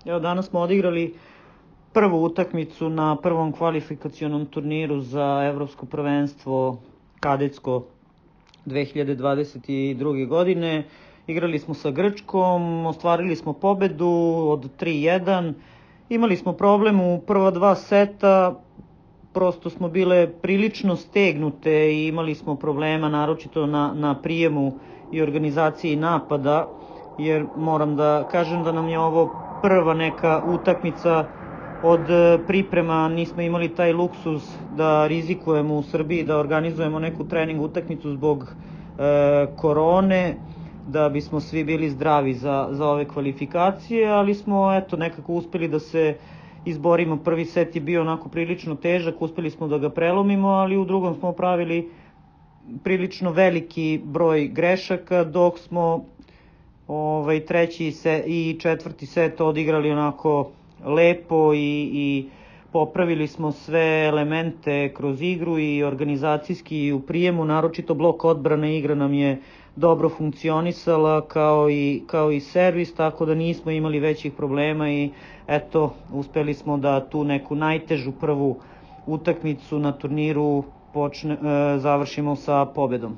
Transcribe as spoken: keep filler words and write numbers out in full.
Evo, danas smo odigrali prvu utakmicu na prvom kvalifikacionom turniru za evropsko prvenstvo kadetsko dve hiljade dvadeset druge. godine. Igrali smo sa Grčkom, ostvarili smo pobedu od tri jedan. Imali smo problem u prva dva seta, prosto smo bile prilično stegnute i imali smo problema naročito na, na prijemu i organizaciji napada, jer moram da kažem da nam je ovo prva neka utakmica od priprema, nismo imali taj luksuz da rizikujemo u Srbiji, da organizujemo neku trening utakmicu zbog e, korone, da bismo svi bili zdravi za, za ove kvalifikacije, ali smo eto nekako uspeli da se izborimo. Prvi set je bio onako prilično težak, uspeli smo da ga prelomimo, ali u drugom smo pravili prilično veliki broj grešaka, dok smo ovaj, treći se, i četvrti set odigrali onako lepo i, i popravili smo sve elemente kroz igru i organizacijski i u prijemu, naročito blok odbrane igra nam je dobro funkcionisala kao i, kao i servis, tako da nismo imali većih problema i eto, uspeli smo da tu neku najtežu prvu utakmicu na turniru počne, e, završimo sa pobedom.